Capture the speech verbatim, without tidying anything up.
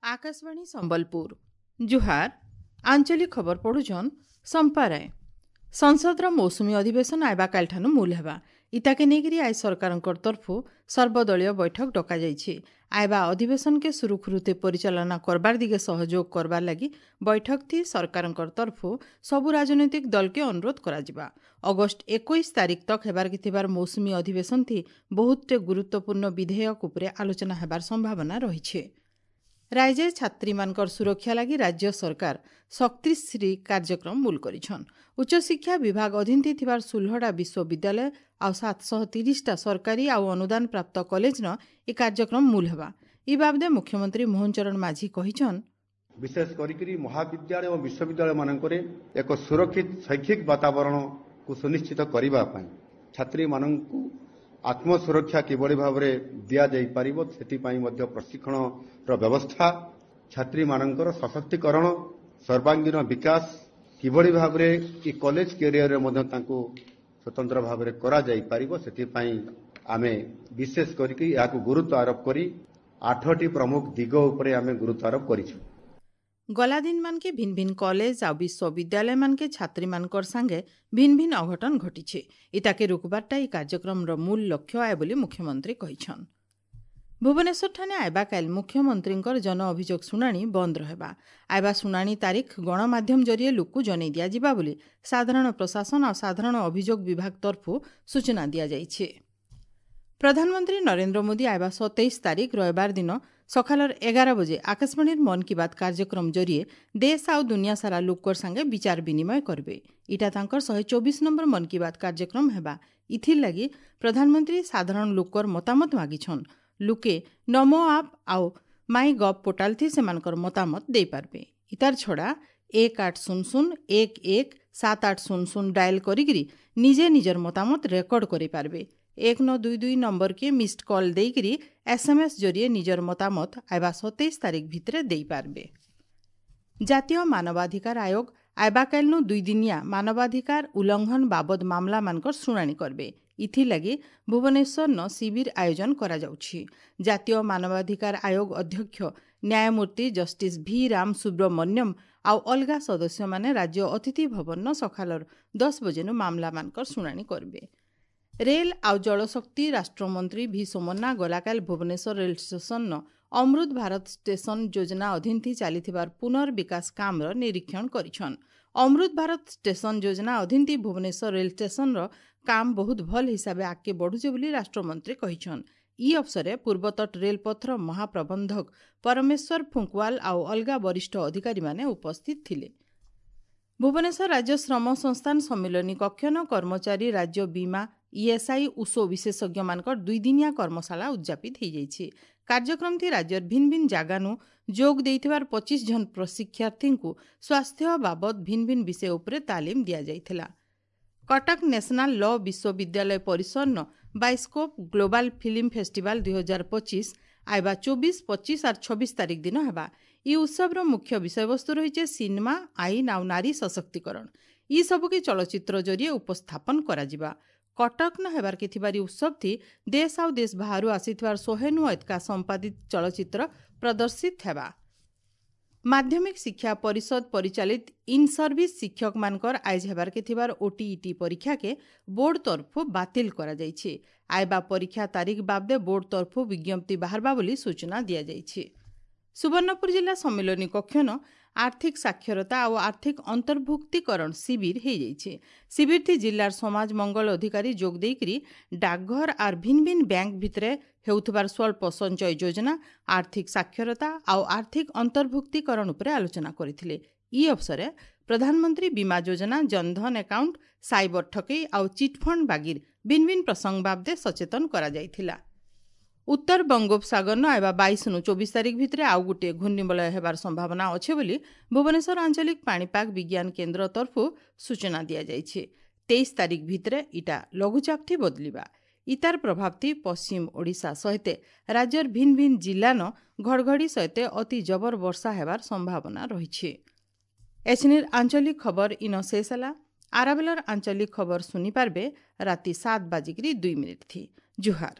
ଆକାଶବାଣୀ ସମ୍ବଲପୁର ଜୁହାର ଆଞ୍ଚଳିକ ଖବର ପଢୁଛନ୍ ସମ୍ପା ରାୟ ସଂସଦର ମୌସୁମୀ ଅଧିବେଶନ ଆଇବା କାଲିଠାନୁ ମୂଲ ହେବା ଇତାକେ ନେଇକରି ଆଜି ସରକାରଙ୍କର ତରଫୁ ସର୍ବଦଳୀୟ ବୈଠକ ଡକାଯାଇଛି ଆଇବା ଅଧିବେଶନକେ ସୁରୁଖୁରୁତେ ପରିଚାଳନା କରବାର ଦିଗେ ସହଯୋଗ କରବାର ଲାଗି ବୈଠକ ଥି ସରକାରଙ୍କର ତରଫୁ ସବୁ ରାଜନୈତିକ ଦଲକେ ଅନୁରୋଧ କରାଯିବା ଅଗଷ୍ଟ ଏକୋଇଶ ତାରିଖ ତକ୍ ହେବାରକେ ଥିବାର ମୌସୁମୀ ଅଧିବେଶନ ଥି ବହୁତଟେ ଗୁରୁତ୍ୱପୂର୍ଣ୍ଣ ବିଧେୟକ ଉପରେ ଆଲୋଚନା ହେବାର ସମ୍ଭାବନା ରହିଛି ରାଜ୍ୟରେ ଛାତ୍ରୀମାନଙ୍କର ସୁରକ୍ଷା ଲାଗି ରାଜ୍ୟ ସରକାର ଶକ୍ତିଶ୍ରୀ କାର୍ଯ୍ୟକ୍ରମ ମୂଲ କରିଛନ୍ ଉଚ୍ଚଶିକ୍ଷା ବିଭାଗ ଅଧୀନରେ ଥିବାର ଷୋହଳଟା ବିଶ୍ୱବିଦ୍ୟାଳୟ ଆଉ ସାତଶହ ତିରିଶଟା ସରକାରୀ ଆଉ ଅନୁଦାନ ପ୍ରାପ୍ତ କଲେଜନ ଏ କାର୍ଯ୍ୟକ୍ରମ ମୂଲ ହେବା ଇ ବାବଦେ ମୁଖ୍ୟମନ୍ତ୍ରୀ ମୋହନ ଚରଣ ମାଝୀ କହିଛନ୍ ବିଶେଷ କରିକିରି ମହାବିଦ୍ୟାଳୟ ଓ ବିଶ୍ୱବିଦ୍ୟାଳୟ ମାନଙ୍କରେ ଏକ ସୁରକ୍ଷିତ ଶୈକ୍ଷିକ ବାତାବରଣକୁ ସୁନିଶ୍ଚିତ କରିବା ପାଇଁ ଛାତ୍ରୀମାନଙ୍କୁ ଆତ୍ମସୁରକ୍ଷା କିଭଳି ଭାବରେ ଦିଆଯାଇପାରିବ ସେଥିପାଇଁ ମଧ୍ୟ ପ୍ରଶିକ୍ଷଣର ବ୍ୟବସ୍ଥା ଛାତ୍ରୀମାନଙ୍କର ସଶକ୍ତିକରଣ ସର୍ବାଙ୍ଗୀନ ବିକାଶ କିଭଳି ଭାବରେ ଏ କଲେଜ କ୍ୟାରିୟରରେ ମଧ୍ୟ ତାଙ୍କୁ ସ୍ୱତନ୍ତ୍ର ଭାବରେ କରାଯାଇପାରିବ ସେଥିପାଇଁ ଆମେ ବିଶେଷ କରିକି ଏହାକୁ ଗୁରୁତ୍ୱ ଆରୋପ କରି ଆଠଟି ପ୍ରମୁଖ ଦିଗ ଉପରେ ଆମେ ଗୁରୁତ୍ୱ ଆରୋପ କରିଛୁ ଗଲା ଦିନମାନକେ ଭିନ୍ ଭିନ୍ କଲେଜ ଆଉ ବିଶ୍ୱବିଦ୍ୟାଳୟମାନକେ ଛାତ୍ରୀମାନଙ୍କର ସାଙ୍ଗେ ଭିନ୍ ଭିନ୍ ଅଘଟଣ ଘଟିছে ଇତାକେ ରୋକବାରଟା ଏହି କାର୍ଯ୍ୟକ୍ରମର ମୂଳ ଲକ୍ଷ୍ୟ ଆଏ ବୋଲି ମୁଖ୍ୟମନ୍ତ୍ରୀ କହିଛନ୍ ଭୁବନେଶ୍ୱରଠାନେ ଆଇବା କାଲି ମୁଖ୍ୟମନ୍ତ୍ରୀଙ୍କର ଜନ ଅଭିଯୋଗ ଶୁଣାଣି ବନ୍ଦ ରହିବା ଆଇବା ଶୁଣାଣି ତାରିଖ ଗଣମାଧ୍ୟମ ଜରିଏ ଲୋକକୁ ଜଣାଇ ଦିଆଯିବା ବୋଲି ସାଧାରଣ ପ୍ରଶାସନ ଆଉ ସାଧାରଣ ଅଭିଯୋଗ ବିଭାଗ ତରଫରୁ ସୂଚନା ଦିଆଯାଇଛି ପ୍ରଧାନମନ୍ତ୍ରୀ ନରେନ୍ଦ୍ର ମୋଦି ଆଇବା ସତେଇଶ ତାରିଖ ରବିବାର ଦିନ ସକାଳର ଏଗାର ବଜେ ଆକାଶବାଣୀର ମନ୍ କି ବାତ୍ କାର୍ଯ୍ୟକ୍ରମ ଜରିଏ ଦେଶ ଆଉ ଦୁନିଆ ସାରା ଲୋକର ସାଙ୍ଗେ ବିଚାର ବିନିମୟ କରିବେ ଇଟା ତାଙ୍କର ଶହେ ଚବିଶ ନମ୍ବର ମନ୍ କି ବାତ୍ କାର୍ଯ୍ୟକ୍ରମ ହେବା ଇଥିର୍ ଲାଗି ପ୍ରଧାନମନ୍ତ୍ରୀ ସାଧାରଣ ଲୋକର ମତାମତ ମାଗିଛନ୍ ଲୁକେ ନମୋ ଆପ୍ ଆଉ ମାଇ ଗଭ୍ ପୋର୍ଟାଲ ଥି ସେମାନଙ୍କର ମତାମତ ଦେଇପାରିବେ ଇତାର ଛଡ଼ା ଏକ ଆଠ ଶୂନ ଶୂନ ଏକ ଏକ ସାତ ଆଠ ଶୂନ ଶୂନ ଡାଏଲ୍ କରିକିରି ନିଜେ ନିଜର ମତାମତ ରେକର୍ଡ କରିପାରିବେ ଏକ ନଅ ଦୁଇ ଦୁଇ ନମ୍ବରକେ ମିସ୍ଡ କଲ୍ ଦେଇକିରି ଏସ୍ଏମ୍ଏସ୍ ଜରିଏ ନିଜର ମତାମତ ଆଇବା ସତେଇଶ ତାରିଖ ଭିତରେ ଦେଇପାରିବେ ଜାତୀୟ ମାନବାଧିକାର ଆୟୋଗ ଆଇବାକାଲିନୁ ଦୁଇଦିନିଆ ମାନବାଧିକାର ଉଲ୍ଲଂଘନ ବାବଦ ମାମଲାମାନଙ୍କର ଶୁଣାଣି କରିବେ ଇଥିଲାଗି ଭୁବନେଶ୍ୱରନ ଶିବିର ଆୟୋଜନ କରାଯାଉଛି ଜାତୀୟ ମାନବାଧିକାର ଆୟୋଗ ଅଧ୍ୟକ୍ଷ ନ୍ୟାୟମୂର୍ତ୍ତି ଜଷ୍ଟିସ୍ ଭି ରାମ ସୁବ୍ରମଣ୍ୟମ ଆଉ ଅଲଗା ସଦସ୍ୟମାନେ ରାଜ୍ୟ ଅତିଥି ଭବନର ସକାଳର ଦଶ ବଜେନୁ ମାମଲାମାନଙ୍କର ଶୁଣାଣି କରିବେ ରେଲ୍ ଆଉ ଜଳଶକ୍ତି ରାଷ୍ଟ୍ରମନ୍ତ୍ରୀ ଭି ସୋମନ୍ନା ଗଲାକାଲି ଭୁବନେଶ୍ୱର ରେଲ୍ ଷ୍ଟେସନର ଅମୃତ ଭାରତ ଷ୍ଟେସନ ଯୋଜନା ଅଧୀନରେ ଚାଲିଥିବାର ପୁନର୍ବିକାଶ କାମର ନିରୀକ୍ଷଣ କରିଛନ୍ ଅମୃତ ଭାରତ ଷ୍ଟେସନ ଯୋଜନା ଅଧୀନରେ ଭୁବନେଶ୍ୱର ରେଲ୍ ଷ୍ଟେସନର କାମ ବହୁତ ଭଲ ହିସାବେ ଆଗକେ ବଢ଼ୁଛେ ବୋଲି ରାଷ୍ଟ୍ରମନ୍ତ୍ରୀ କହିଛନ୍ ଇ ଅବସରେ ପୂର୍ବତଟ ରେଳପଥର ମହାପ୍ରବନ୍ଧକ ପରମେଶ୍ୱର ଫୁଙ୍କୱାଲ ଆଉ ଅଲଗା ବରିଷ୍ଠ ଅଧିକାରୀମାନେ ଉପସ୍ଥିତ ଥିଲେ ଭୁବନେଶ୍ୱର ରାଜ୍ୟ ଶ୍ରମ ସଂସ୍ଥାନ ସମ୍ମିଳନୀ କକ୍ଷନ କର୍ମଚାରୀ ରାଜ୍ୟ ବୀମା ଇଏସ୍ଆଇ ଉଷୋ ବିଶେଷଜ୍ଞମାନଙ୍କର ଦୁଇଦିନିଆ କର୍ମଶାଳା ଉଦ୍ଯାପିତ ହୋଇଯାଇଛି କାର୍ଯ୍ୟକ୍ରମଟି ରାଜ୍ୟର ଭିନ୍ ଭିନ୍ ଜାଗାନୁ ଯୋଗ ଦେଇଥିବାର ପଚିଶ ଜଣ ପ୍ରଶିକ୍ଷାର୍ଥୀଙ୍କୁ ସ୍ୱାସ୍ଥ୍ୟ ବାବଦ ଭିନ୍ ଭିନ୍ ବିଷୟ ଉପରେ ତାଲିମ ଦିଆଯାଇଥିଲା କଟକ ନ୍ୟାସନାଲ ଲ ବିଶ୍ୱବିଦ୍ୟାଳୟ ପରିସରର ବାଇସ୍କୋପ୍ ଗ୍ଲୋବାଲ ଫିଲ୍ମ ଫେଷ୍ଟିଭାଲ ଦୁଇ ହଜାର ପଚିଶ ଆଇବା ଚବିଶ ପଚିଶ ଆର୍ ଛବିଶ ତାରିଖ ଦିନ ହେବା ଇ ଉତ୍ସବର ମୁଖ୍ୟ ବିଷୟବସ୍ତୁ ରହିছে ସିନେମା ଆଇନ ଆଉ ନାରୀ ସଶକ୍ତିକରଣ ଇ ସବୁକେ ଚଳଚ୍ଚିତ୍ର ଜରିଏ ଉପସ୍ଥାପନ କରାଯିବା କଟକ ନ ହେବାରକେ ଥିବାର ଉତ୍ସବଥି ଦେଶ ଆଉ ଦେଶ ବାହାରୁ ଆସିଥିବାର ଶହେନୁ ଏତକା ସମ୍ପାଦିତ ଚଳଚ୍ଚିତ୍ର ପ୍ରଦର୍ଶିତ ହେବା ମାଧ୍ୟମିକ ଶିକ୍ଷା ପରିଷଦ ପରିଚାଳିତ ଇନ୍ ସର୍ଭିସ ଶିକ୍ଷକମାନଙ୍କର ଆଇଜ ହେବାରକେ ଥିବାର ଓଟିଇଟି ପରୀକ୍ଷାକେ ବୋର୍ଡ ତରଫୁ ବାତିଲ କରାଯାଇଛି ଆଇବା ପରୀକ୍ଷା ତାରିଖ ବାବଦେ ବୋର୍ଡ ତରଫୁ ବିଜ୍ଞପ୍ତି ବାହାରବା ବୋଲି ସୂଚନା ଦିଆଯାଇଛି ସୁବର୍ଣ୍ଣପୁର ଜିଲ୍ଲା ସମ୍ମିଳନୀ କକ୍ଷନ ଆର୍ଥିକ ସାକ୍ଷରତା ଆଉ ଆର୍ଥିକ ଅନ୍ତର୍ଭୁକ୍ତିକରଣ ଶିବିର ହେଇଯାଇଛି ଶିବିରଟି ଜିଲ୍ଲାର ସମାଜ ମଙ୍ଗଳ ଅଧିକାରୀ ଯୋଗ ଦେଇକରି ଡାକଘର ଆର୍ ଭିନ୍ ଭିନ୍ ବ୍ୟାଙ୍କ ଭିତରେ ହେଉଥିବାର ସ୍ୱଳ୍ପ ସଞ୍ଚୟ ଯୋଜନା ଆର୍ଥିକ ସାକ୍ଷରତା ଆଉ ଆର୍ଥିକ ଅନ୍ତର୍ଭୁକ୍ତିକରଣ ଉପରେ ଆଲୋଚନା କରିଥିଲେ ଇ ଅବସରେ ପ୍ରଧାନମନ୍ତ୍ରୀ ବୀମା ଯୋଜନା ଜନଧନ ଆକାଉଣ୍ଟ ସାଇବର ଠକେଇ ଆଉ ଚିଟ୍ଫଣ୍ଡ ବାଗିର ଭିନ୍ ଭିନ୍ ପ୍ରସଙ୍ଗ ବାବଦେ ସଚେତନ କରାଯାଇଥିଲା ଉତ୍ତର ବଙ୍ଗୋପସାଗରନ ଆଇବା ବାଇଶରୁ ଚବିଶ ତାରିଖ ଭିତରେ ଆଉ ଗୋଟିଏ ଘୂର୍ଣ୍ଣିବଳୟ ହେବାର ସମ୍ଭାବନା ଅଛି ବୋଲି ଭୁବନେଶ୍ୱର ଆଞ୍ଚଳିକ ପାଣିପାଗ ବିଜ୍ଞାନ କେନ୍ଦ୍ର ତରଫରୁ ସୂଚନା ଦିଆଯାଇଛି ତେଇଶ ତାରିଖ ଭିତରେ ଇଟା ଲଘୁଚାପଥି ବଦଳିବା ଇତାର ପ୍ରଭାବଥି ପଶ୍ଚିମ ଓଡ଼ିଶା ସହିତ ରାଜ୍ୟର ଭିନ୍ ଭିନ୍ ଜିଲ୍ଲାନ ଘଡ଼ଘଡ଼ି ସହିତ ଅତି ଜବର ବର୍ଷା ହେବାର ସମ୍ଭାବନା ରହିଛି ଏଛିନିର ଆଞ୍ଚଳିକ ଖବର ଇନ ଶେଷ ହେଲା ଆରାବେଲର ଆଞ୍ଚଳିକ ଖବର ଶୁଣିପାରବେ ରାତି ସାତ ବାଜିକିରି ଦୁଇ ମିନିଟ୍ ଥି। ଜୁହାର।